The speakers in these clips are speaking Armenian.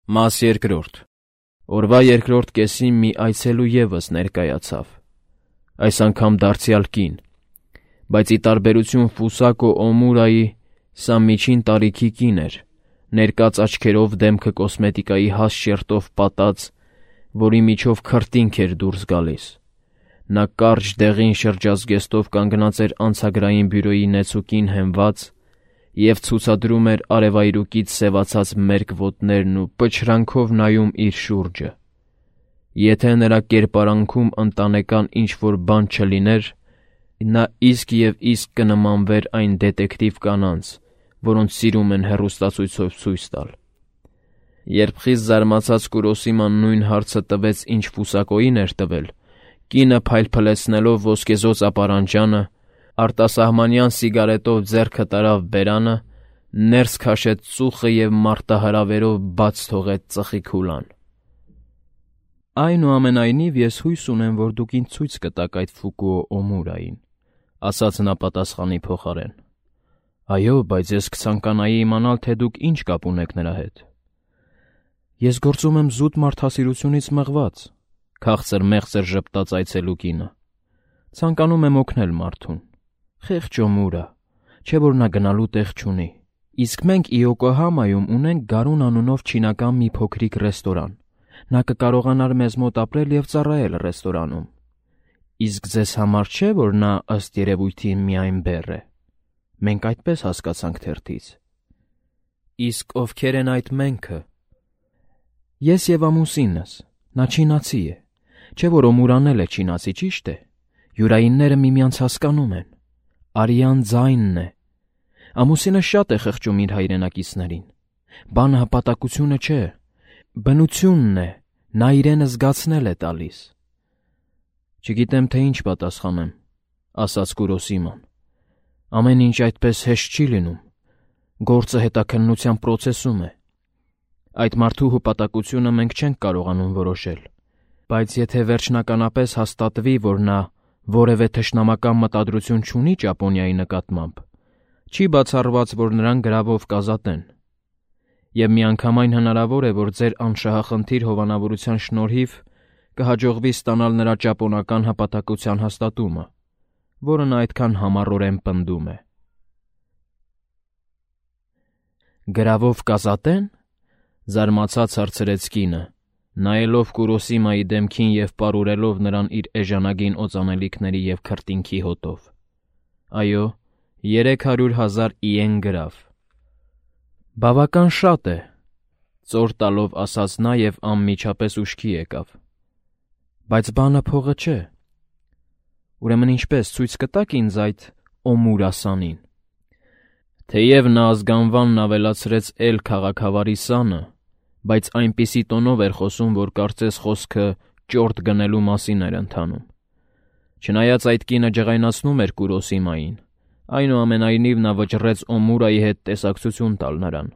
Մաս երկրորդ. Օրվա երկրորդ կեսին մի այցելու ևս ներկայացավ, այս անգամ դարձյալ կին, բայց ի տարբերություն Ֆուսակո Օմուրայի, սա միջին տարիքի կին էր, ներկած աչքերով դեմքը կոսմետիկայի հաստ շերտով պատած, որի միջով քրտինք էր դուրս գալիս։ Նա կարճ դեղին շրջազգեստով կանգնած էր անցագրային բյուրոյի նեցուկին հենված և ցուցադրում էր արևայրուկից սևացած մերկ ոտներն ու պչրանքով նայում իր շուրջը։ Եթե նրա կերպարանքում ընտանեկան ինչ-որ բան չլիներ, նա իսկ և իսկ կնմանվեր այն դետեկտիվ կանանց, որոնց սիրում են հեռուստացույցով ցույց տալ։ Երբ խիստ զարմացած Կուրոսիման նույն հարցը տվեց, ինչ Ֆուսակոյին էր տվել, կինը փայլփլեցնելով ոսկեզօծ ապարանջանը, արտասահմանյան սիգարետով ձեռքը տարավ բերանը, ներս քաշեց ծուխը և մարտահրավերով բաց թողեց ծխի քուլան։ «Այնուամենայնիվ ես հույս ունեմ, որ դուք ինձ ցույց կտաք այդ Ֆուկուո Օմուրային», ասաց նա պատասխանի փոխարեն։ «Այո, բայց ես կցանկանայի իմանալ, թե դուք ինչ կապ ունեք նրա հետ»։ «Ես գործում եմ զուտ մարդասիրությունից մղված», քաղցր մեղձր ժպտաց այցելու կինը։ «Ցանկանում եմ օգնել մարդուն։ Խեղճ Օմուրա, չէ՞ որ նա գնալու տեղ չունի։ Իսկ մենք Իոկոհամայում ունենք Գարուն անունով չինական մի փոքրիկ ռեստորան։ Նա կկարողանար մեզ մոտ ապրել և ծառայել ռեստորանում։ Իսկ ձեզ համար չէ, որ նա ըստ երևույթին միայն բեռ է։ Մենք այդպես հասկացանք թերթից»։ «Իսկ ովքեր են այդ մենքը»։ «Ես և ամուսինս, նա չինացի է։ Չէ՞ որ Օմուրան էլ է չինացի, ճիշտ է։ Յուրայինները միմյանց հասկանում են։ Արյան ձայնն է։ Ամուսինը շատ է խղճում իր հայրենակիցներին։ Բանը հպատակությունը չէ, բնությունն է, նա իրենը զգացնել է տալիս»։ «Չգիտեմ, թե ինչ պատասխանեմ», ասաց Կուրոսիման։ «Ամեն ինչ այդպես հեշտ չի լինում։ Գործը հետաքննության պրոցեսում է։ Այդ մարդու հպատակությունը մենք չենք կարողանում որոշել, բայց եթե վերջնականապես հաստատվի, որ նա որևէ թշնամական մտադրություն չունի Ճապոնիայի նկատմամբ, չի բացառված, որ նրան գրավով կազատեն։ Եվ միանգամայն հնարավոր է, որ ձեր անշահախնդիր հովանավորության շնորհիվ կհաջողվի ստանալ նրա ճապոնական հպատակության հաստատումը, որը նա այդքան համառորեն պնդում է»։ «Գրավով կազատե՞ն»։ Զարմացած հարցրեց կինը, նայելով Կուրոսիմայի դեմքին և պարուրելով նրան իր էժանագին օծանելիքների և քրտինքի հոտով։ «Այո, 300,000 իեն գրավ»։ «Բավական շատ է», ծոր տալով ասաց նա և անմիջապես ուշքի եկավ։ «Բայց բանը փողը չէ։ Ուրեմն ինչպես, ցույց կտա՞ք ինձ այդ Օմուրասանին»։ Թեև նա ազգանվանն ավելացրեց «էլ» քաղաքավարի սանը, բայց այնպիսի տոնով էր խոսում, որ կարծես խոսքը ճորտ գնելու մասին էր ընթանում։ Չնայած այդ կինը ջղայնացնում էր Կուրոսիմային, այնուամենայնիվ նա վճռեց Օմուրայի հետ տեսակցություն տալ նրան։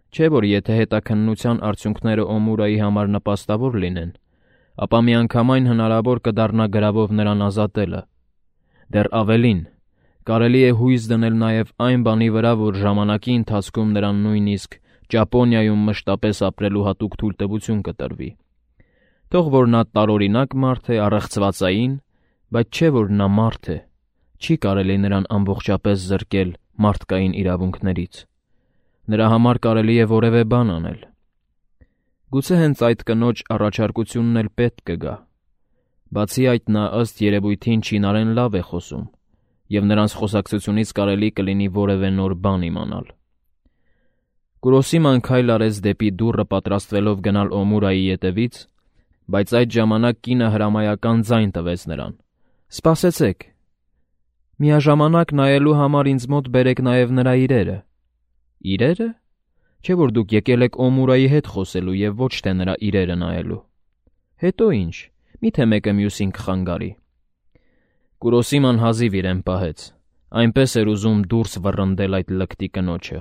Չէ՞ որ եթե հետաքննության արդյունքները Օմուրայի համար նպաստավոր լինեն, ապա միանգամայն հնարավոր կդառնա գրավով նրան ազատելը։ Դեռ ավելին, կարելի է հույս դնել նաև այն բանի վրա, որ ժամանակի ընթացքում նրան նույնիսկ Ճապոնիայում մշտապես ապրելու հատուկ թույլտվություն կտրվի։ Թող որ նա տարօրինակ մարդ է, առեղծվածային, բայց չէ որ նա մարդ է, չի կարելի նրան ամբողջապես զրկել մարդկային իրավունքներից։ Նրա համար կարելի է որևէ բան անել։ Գուցե հենց այդ կնոջ առաջարկությունն էլ պետք կգա։ Բացի այդ, նա ըստ երևույթին չինարեն լավ է խոսում, և նրանց խոսակցությունից կարելի կլինի որևէ նոր բան իմանալ։ Կուրոսիման քայլ արեց դեպի դուռը պատրաստվելով գնալ Օմուրայի ետևից, բայց այդ ժամանակ կինը հրամայական ձայն տվեց նրան։ «Սպասեցեք։ Միաժամանակ նայելու համար ինձ մոտ բերեք նաև նրա իրերը»։ «Իրերը։ Չէ՞ որ դուք եկել եք Օմուրայի հետ խոսելու և ոչ թե նրա իրերը նայելու։ Հետո ինչ, միթե մեկը մյուսին կխանգարի»։ Կուրոսիման հազիվ իրեն պահեց, այնպես էր ուզում դուրս վռնդել այդ լկտի կնոջը։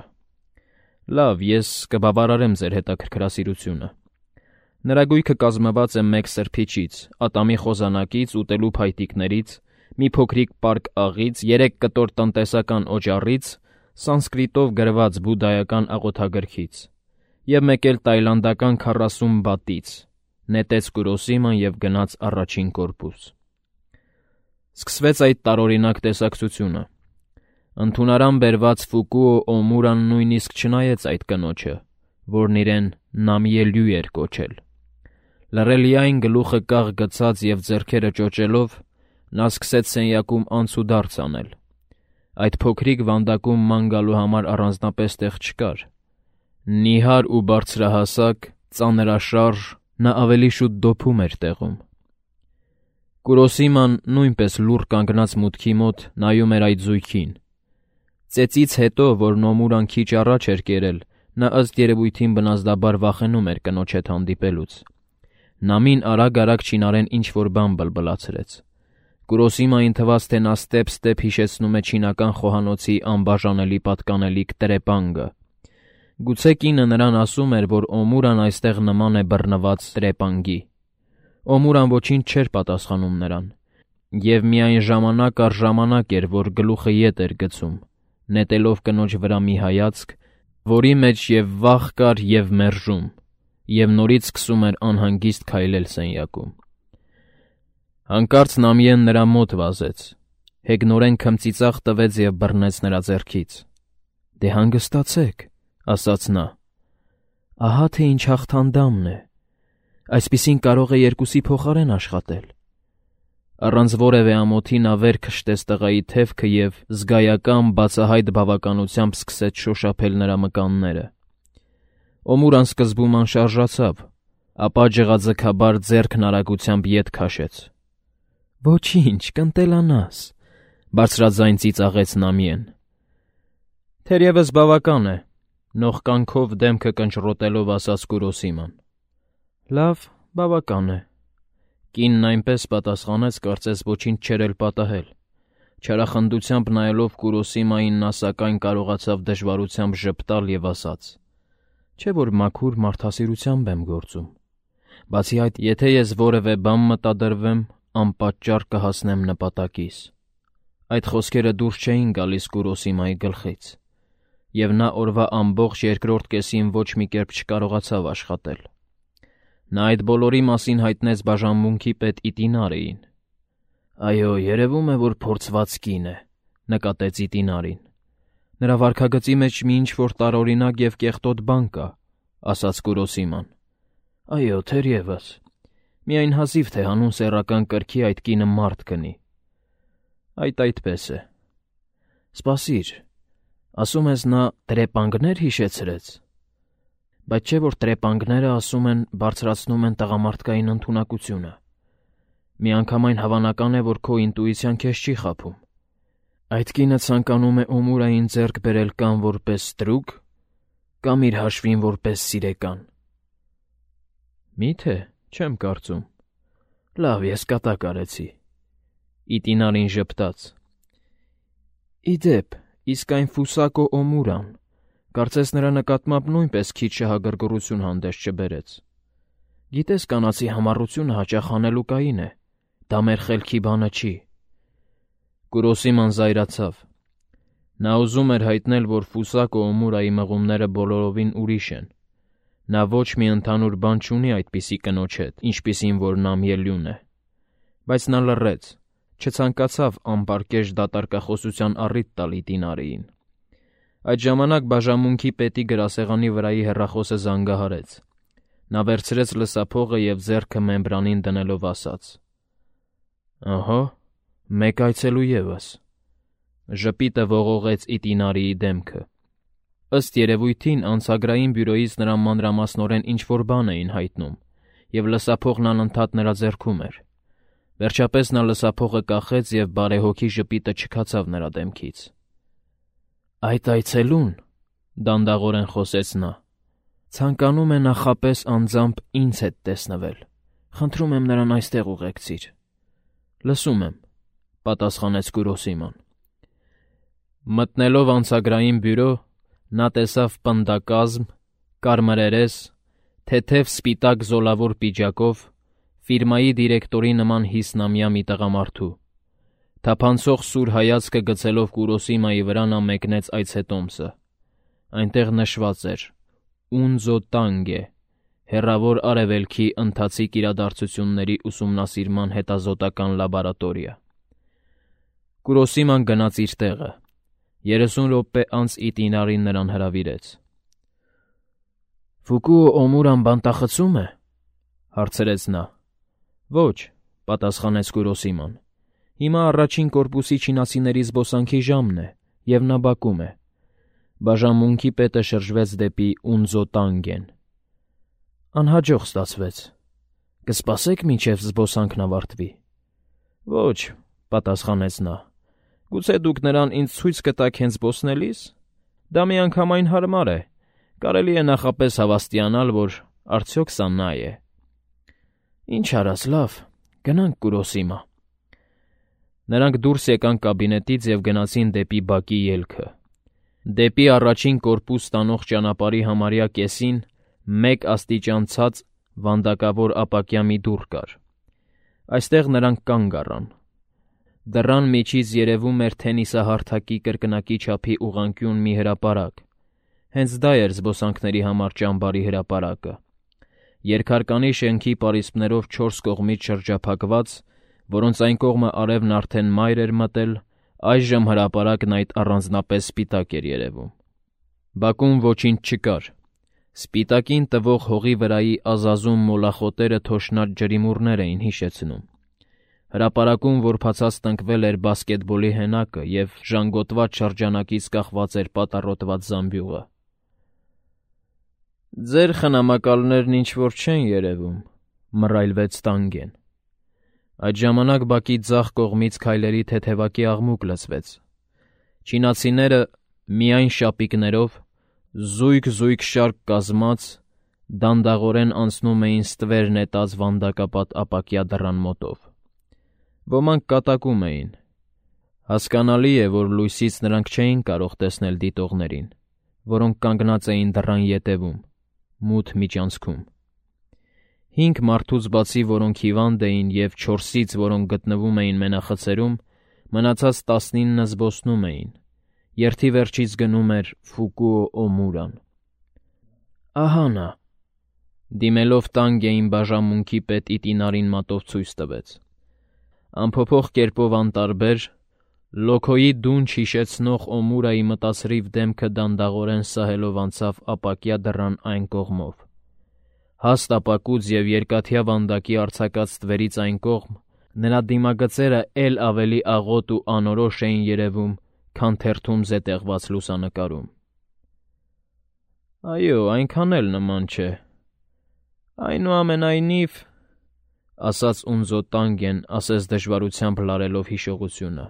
«Լավ, ես կբավարարեմ ձեր հետաքրքրասիրությունը։ Նրա գույքը կազմված է մեկ սրբիչից, ատամի խոզանակից, ուտելու փայտիկներից, մի փոքրիկ պարկ աղից, 3 կտոր տնտեսական օճառից, սանսկրիտով գրված բուդդայական աղոթագրքից և մեկ էլ տայլանդական 40 բատից, նետեց Կուրոսիման և գնաց առաջին կորպուս։ Սկսվեց այդ տարօրինակ տեսակցությունը։ Ընդունարան բերված Ֆուկուո Օմուրան նույնիսկ չնայեց այդ կնոջը, որն իրեն Նամիելյու էր կոչել։ Լռելիային գլուխը կաղ գցած և ձեռքերը ճոճելով, նա սկսեց սենյակում անցուդարձ անել։ Այդ փոքրիկ վանդակում ման գալու համար առանձնապես տեղ չկար։ Նիհար ու բարձրահասակ, ծանրաշարժ, նա ավելի շուտ դոփում էր տեղում։ Կուրոսիման նույնպես լուռ կանգնած մուտքի մոտ նայում էր այդ զույգին։ Ծեծից հետո, որ Նոմուրան քիչ առաջ էր կերել, նա ըստ երևույթին բնազդաբար վախենում էր կնոջ հետ հանդիպելուց։ Նամին արագ-արագ չինարեն ինչ-որ բան բլբլացրեց։ Կուրոսիմային թվաց, թե նա ստեպ-ստեպ հիշեցնում է չինական խոհանոցի անբաժանելի պատկանելիք տրեպանգը։ Գուցե կինը նրան ասում էր, որ Օմուրան այստեղ նման է բռնված տրեպանգի։ Օմուրան ոչինչ չէր պատասխանում նրան, և միայն ժամանակ առ ժամանակ էր, որ գլուխը ետ էր գցում, նետելով կնոջ վրա մի հայացք, որի մեջ և վախ կար, և մերժում, և նորից սկսում էր անհանգիստ քայլել սենյակում։ Հանկարծ Նամիեն նրա մոտ վազեց, հեգնորեն քմծիծաղ տվեց և բռնեց նրա ձեռքից։ «Դե հանգստացեք», ասաց նա։ «Ահա թե ինչ հաղթանդամն է։ Այսպիսին կարող է երկուսի փոխարեն աշխատել»։ Առանց որևէ ամոթի նա վեր քշտեց տղայի թևքը և զգայական բացահայտ բավականությամբ սկսեց շոշափել նրա մկանները։ Օմուրան սկզբում անշարժացավ, ապա ջղաձգաբար ձեռքն արագությամբ ետ քաշեց։ «Ոչինչ, կընտելանաս», բարձրաձայն ծիծաղեց Նամիեն։ «Թերևս բավական է», նողկանքով դեմքը կնճռոտելով ասաց Կուրոսիման։ «Լավ, բավական է», կինն այնպես պատասխանեց, կարծես ոչինչ չէր էլ պատահել։ Չարախնդությամբ նայելով Կուրոսիմային, նա սակայն կարողացավ դժվարությամբ ժպտալ և ասաց. «Չէ՞ որ մաքուր մարդասիրությամբ եմ գործում։ Բացի այդ, եթե ես որևէ բան մտադրվեմ, անպատճառ կհասնեմ նպատակիս»։ Այդ խոսքերը դուրս չէին գալիս Կուրոսիմայի գլխից, և նա օրվա ամբողջ երկրորդ կեսին ոչ մի կերպ չկարողացավ աշխատել։ Նա այդ բոլորի մասին հայտնեց բաժանմունքի պետ Իտինարեին։ «Այո, երևում է, որ փորձված կին է», նկատեց Իտինարին։ «Նրա վարքագծի մեջ մի ինչ-որ տարօրինակ և կեղտոտ բան կա», ասաց Կուրոսիման։ «Այո, թերևս։ Միայն հազիվ թե հանուն սեռական կրքի այդ կինը մարդ գնի»։ «Այդ այդպես է»։ «Սպասիր, ասում ես նա տրեպանգներ հիշեցրեց։ Բայց չէ՞ որ տրեպանգները, ասում են, բարձրացնում են տղամարդկային ընդունակությունը։ Միանգամայն հավանական է, որ քո ինտուիցիան քեզ չի խաբում։ Այդ կինը ցանկանում է Օմուրային ձեռք բերել կամ որպես ստրուկ, կամ իր հաշվին որպես սիրեկան»։ «Մի՞թե, չեմ կարծում»։ «Լավ, ես կատակ արեցի»։ Իտինարին ժպտաց։ «Ի դեպ, իսկ այն Ֆուսակո Օմուրան, կարծես նրա նկատմամբ նույնպես քիչ շահագրգռություն հանդես չբերեց։ Գիտես, կանացի համառությունը հաճախ հանելուկային է, դա մեր խելքի բանը չի»։ Կուրոսիման զայրացավ։ Նա ուզում էր հայտնել, որ Ֆուսակո Օմուրայի մղումները բոլորովին ուրիշ են։ Նա ոչ մի ընդհանուր բան չունի այդպիսի կնոջ հետ, ինչպիսին որ Նամիելյուն է։ Բայց նա լռեց, չցանկացավ անպարկեշտ դատարկախոսության առիթ տալ Իտինարեին։ Այդ ժամանակ բաժանմունքի պետի գրասեղանի վրայի հեռախոսը զանգահարեց։ Նա վերցրեց լսափողը և ձեռքը մեմբրանին դնելով ասաց. «Ահա, մեկ այցելու ևս»։ Ժպիտը ողողեց Իտինարիի դեմքը։ Ըստ երևույթին անցագրային բյուրոյից նրան մանրամասնորեն ինչ-որ բան էին հայտնում, և լսափողն անընդհատ նրա ձեռքում էր։ Վերջապես նա լսափողը կախեց, և բարեհոգի ժպիտը չքացավ նրա դեմքից։ «Այդ այցելուն», դանդաղորեն խոսեց նա, «ցանկանում է նախապես անձամբ ինձ հետ տեսնվել։ Խնդրում եմ նրան այստեղ ուղեկցիր»։ «Լսում եմ», պատասխանեց Կուրոսիման։ Մտնելով անցագրային բյուրո, նա տեսավ պնդակազմ, կարմրերես, թեթև սպիտակ զոլավոր պիջակով, ֆիրմայի դիրեկտորի նման հիսնամյա մի տղամարդու։ Թափանցող սուր հայացքը գցելով Կուրոսիմայի վրա, նա մեկնեց այցետոմսը։ Այնտեղ նշված էր. Ունձոտանգ է, հեռավոր արևելքի ընթացիկ իրադարձությունների ուսումնասիրման հետազոտական լաբորատորիա։ Կուրոսիման գնաց իր տեղը։ 30 րոպե անց Իտինարին նրան հրավիրեց։ «Ֆուկուո Օմուրան բանտախցում է», հարցրեց նա։ «Ոչ», պատասխանեց Կուրոսիման։ «Հիմա առաջին կորպուսի չինացիների զբոսանքի ժամն է, և նա բակում է»։ Բաժանմունքի պետը շրջվեց դեպի Ունձոտանգեն։ «Անհաջող ստացվեց։ Կսպասե՞ք, մինչև զբոսանքն ավարտվի»։ «Ոչ», պատասխանեց նա։ «Գուցե դուք նրան ինձ ցույց կտաք հենց զբոսնելիս։ Դա միանգամայն հարմար է։ Կարելի է նախապես հավաստիանալ, որ արդյոք սա նա է»։ «Ինչ արած, լավ, գնանք Կուրոսիմա»։ Նրանք դուրս եկան կաբինետից և գնացին դեպի բակի ելքը։ Դեպի առաջին կորպուս տանող ճանապարհի համարյա կեսին 1 աստիճան ցած վանդակավոր ապակյա մի դուռ կար։ Այստեղ նրանք կանգ առան։ Դռան միջից երևում էր թենիսահարթակի կրկնակի չափի ուղղանկյուն մի հրապարակ։ Հենց դա էր զբոսանքների համար ճամբարի հրապարակը։ Երկհարկանի շենքի պարիսպներով 4 կողմից շրջափակված, որոնց այն կողմը արևն արդեն մայր էր մտել, այժմ հրապարակն այդ առանձնապես սպիտակ էր երևում։ Բակում ոչինչ չկար։ Սպիտակին տվող հողի վրայի ազազում մոլախոտերը թոշնած ջրիմուռներ էին հիշեցնում։ Հրապարակում որբացած տնկվել էր բասկետբոլի հենակը և ժանգոտված շրջանակից կախված էր պատառոտված զամբյուղը։ «Ձեր խնամակալներն ինչ-որ չեն երևում», մռայլվեց Տանգեն։ Այդ ժամանակ բակի ձախ կողմից քայլերի թեթևակի աղմուկ լսվեց։ Չինացիները միայն շապիկներով, զույգ-զույգ շարք կազմած, դանդաղորեն անցնում էին ստվեր նետած վանդակապատ ապակյա դռան մոտով։ Ոմանք կատակում էին։ Հասկանալի է, որ լույսից նրանք չէին կարող տեսնել դիտողներին, որոնք կանգնած էին դռան ետևում, մութ միջանցքում։ 5 մարդուց բացի, որոնք հիվանդ էին, և 4-ից, որոնք գտնվում էին մենախցերում, մնացած 19 զբոսնում էին։ Երթի վերջից գնում էր Ֆուկուո Օմուրան։ «Ահա նա», դիմելով Տանգեին բաժանմունքի պետ Իտինարին մատով ցույց տվեց։ Անփոփոխ կերպով անտարբեր, լոքոյի դունչ հիշեցնող Օմուրայի մտացրիվ դեմքը դանդաղորեն սահելով անցավ ապակյա դռան այն կողմով։ Հաստ ապակուց և երկաթյա վանդակի արձակած ստվերից այն կողմ նրա դիմագծերը էլ ավելի աղոտ ու անորոշ էին երևում, քան թերթում զետեղված լուսանկարում։ «Այո, այնքան էլ նման չէ։ Այնուամենայնիվ», ասաց Ունձոտանգեն, ասես դժվարությամբ լարելով հիշողությունը։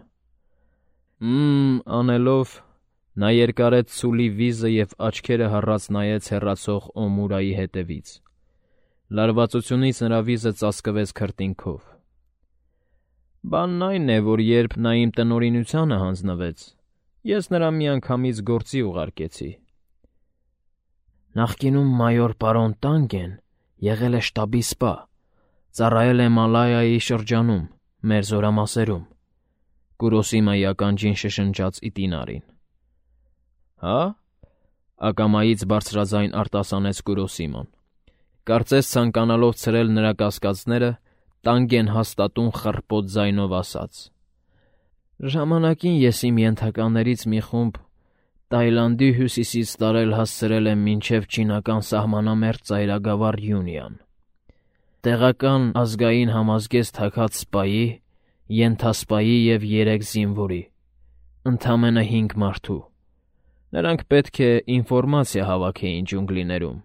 Անելով, նա երկարեց ցուլի վիզը և աչքերը հառած նայեց հեռացող Օմուրայի հետևից։ Լարվածությունից նրա վիզը ծածկվեց քրտինքով։ «Բանն այն է, որ երբ նա իմ տնօրինությանը հանձնվեց, ես նրան միանգամից գործի ուղարկեցի»։ «Նախկինում մայոր պարոն Տանգեն եղել է շտաբի սպա, ծառայել է Մալայայի շրջանում, մեր զորամասերում», Կուրոսիմայի ականջին շշնջաց Իտինարին։ «Հա՞», ակամայից բարձրաձայն արտասանեց Կուրոսիման։ Կարծես ցանկանալով ցրել նրա կասկածները, Տանգեն հաստատուն խռպոտ ձայնով ասաց. «Ժամանակին ես իմ ենթականերից մի խումբ Տայլանդի հյուսիսից տարել հասցրել եմ մինչև չինական սահմանամերձ ծայրագավառ Յունիան։ Տեղական ազգային համազգեստ թաքած սպայի, ենթասպայի և 3 զինվորի, ընդամենը 5 մարդու։ Նրանք պետք է ինֆորմացիա հավաքեին ջունգլիներում,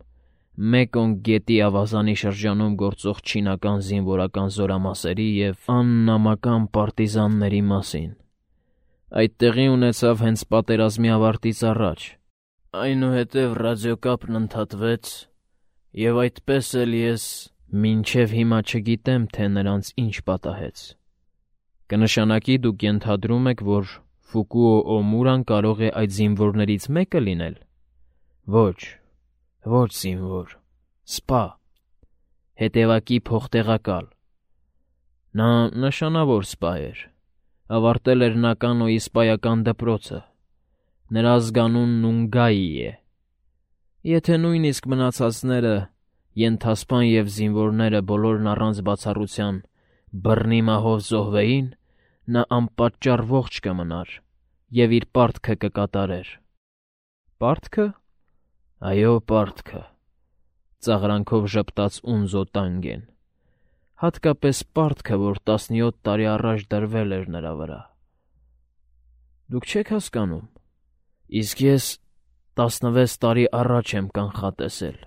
Մեկոնգ գետի ավազանի շրջանում գործող չինական զինվորական զորամասերի և աննամական պարտիզանների մասին։ Այդ տեղի ունեցավ հենց պատերազմի ավարտից առաջ։ Այնուհետև ռադիոկապն ընդհատվեց, և այդպես էլ ես մինչև հիմա չգիտեմ, թե նրանց ինչ պատահեց»։ «Կնշանակի դուք ենթադրում եք, որ Ֆուկուո Օմուրան կարող է այդ զինվորներից մեկը լինել»։ Ոչ զինվոր, սպա, հետևակի փոխտեղակալ։ Նա նշանավոր սպա էր, ավարտել էր Նականոյի սպայական դպրոցը։ Նրա ազգանունն Ունգայի է։ Եթե նույնիսկ մնացածները, ենթասպան և զինվորները բոլորն առանց բացառության բռնի մահով զոհվեին, նա անպատճառ ողջ կմնար և իր պարտքը կկատարեր։ Պարտքը։ Այո, պարտքը, ծաղրանքով ժպտաց Ունզո Տանգեն, հատկապես պարտքը, որ 17 տարի առաջ դրվել էր նրա վրա։ Դուք չեք հասկանում, իսկ ես 16 տարի առաջ եմ կանխատեսել,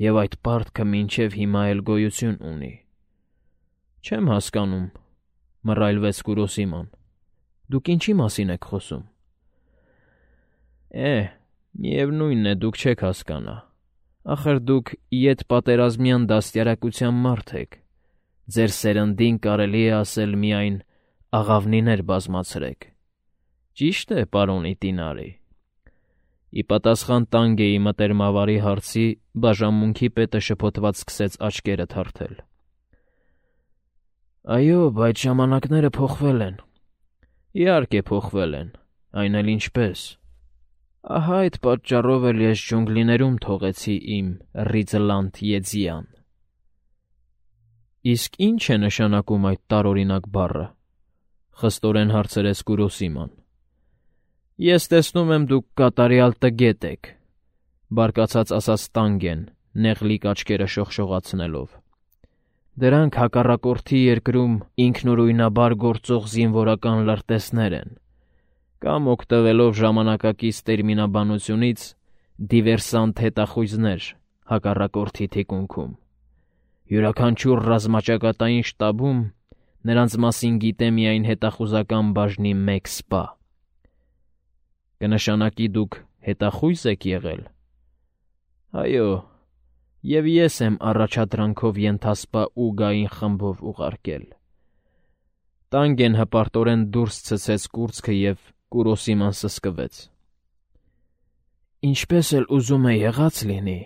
և այդ պարտքը մինչև հիմա էլ գոյություն ունի։ Չեմ հասկանում, մռայլվեց Կուրոսիման, դուք ինչի մասին եք խոսում։ Միևնույն է, դուք չեք հասկանա, ախր դուք ետպատերազմյան դաստիարակության մարդ եք, ձեր սերնդին կարելի է ասել միայն աղավնիներ բազմացրեք։ Ճիշտ է, պարոն Իտինարի։ Ի պատասխան Տանգեի մտերմավարի հարցի բաժանմունքի պետը շփոթված սկսեց աչքերը թարթել։ Այո, բայց ժամանակները փոխվել են։ Իհարկե փոխվել են, այն էլ ինչպես։ Ահա այդ պատճառով էլ ես ջունգլիներում թողեցի իմ Ռիձլանդ Եձիան։ Իսկ ի՞նչ է նշանակում այդ տարօրինակ բառը, խստորեն հարցրեց Կուրոսիման։ Ես տեսնում եմ, դուք կատարյալ տգետ եք, բարկացած ասաց Տանգեն, նեղլիկ աչքերը շողշողացնելով։ Դրանք հակառակորդի երկրում ինքնուրույնաբար գործող զինվորական լրտեսներ են, կամ օգտվելով ժամանակակից տերմինաբանությունից դիվերսանտ հետախույզներ հակառակորդի թիկունքում։ Յուրաքանչյուր ռազմաճակատային շտաբում նրանց մասին գիտե միայն հետախուզական բաժնի մեկ սպա։ Կնշանակի դուք հետախույզ եք եղել։ Այո, և ես եմ առաջադրանքով ենթասպա Ուգային խմբով ուղարկել։ Տանգեն հպարտորեն դուրս ցցեց կուրծքը և Կուրոսիման սսկվեց։ Ինչպես էլ ուզում է եղած լինի,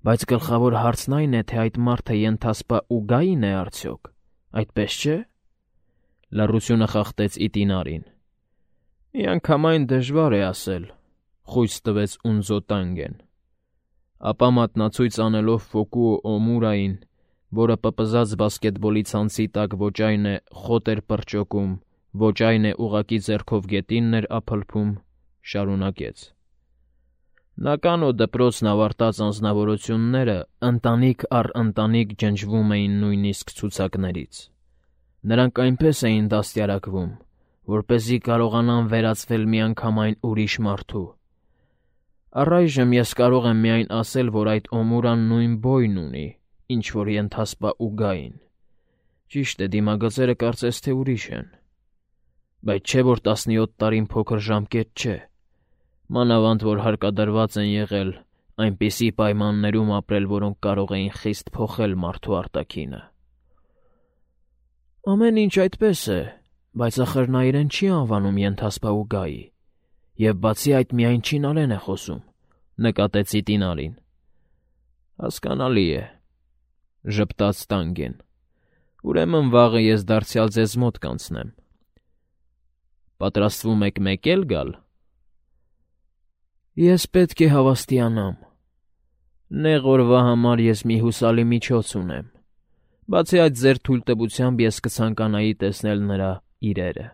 բայց գլխավոր հարցն այն է, թե այդ մարդը ենթասպա Ուգային է արդյոք, այդպես չէ։ Լռությունը խախտեց Իտինարին։ Միանգամայն դժվար է ասել, խույս տվեց Ունզո Տանգեն։ Ապա մատնացույց անելով Ֆոկուո Օմուրային, որը պպզած բասկետբոլի ցանցի տակ ոչ այն է խոտ էր պրճոկում, ոչ այն է ուղղակի ձեռքով գետինն էր ափլփում, շարունակեց. Նա կանո դպրոցն ավարտած անձնավորությունները ընտանիք առ ընտանիք ջնջվում էին նույնիսկ ցուցակներից։ Նրանք այնպես էին դաստիարակվում, որպեսզի կարողանան վերածվել միանգամայն ուրիշ մարդու։ Առայժմ ես կարող եմ միայն ասել, որ այդ Օմուրան նույն բոյն ունի, ինչ որ ենթասպա Ուգային։ Ճիշտ է, դիմագծերը կարծես թե ուրիշ են։ Բայց չէ, որ 17 տարին փոքր ժամկետ չէ, մանավանդ որ հարկադրված են եղել այնպիսի պայմաններում ապրել, որոնք կարող էին խիստ փոխել մարդու արտաքինը։ Ամեն ինչ այդպես է, բայց ախր նա իրեն չի անվանում ենթասպա Ուգայի, և բացի այդ միայն չինարեն է խոսում, նկատեց Իտինարին։ Հասկանալի է, ժպտաց Տանգեն։ Ուրեմն վաղը ես դարձյալ ձեզ մոտ կանցնեմ։ Պատրաստվում եք մեկ էլ գալ։ Ես պետք է հավաստիանամ։ Նեղ օրվա համար ես մի հուսալի միջոց ունեմ։ Բացի այդ, ձեր թույլտվությամբ ես կցանկանայի տեսնել նրա իրերը։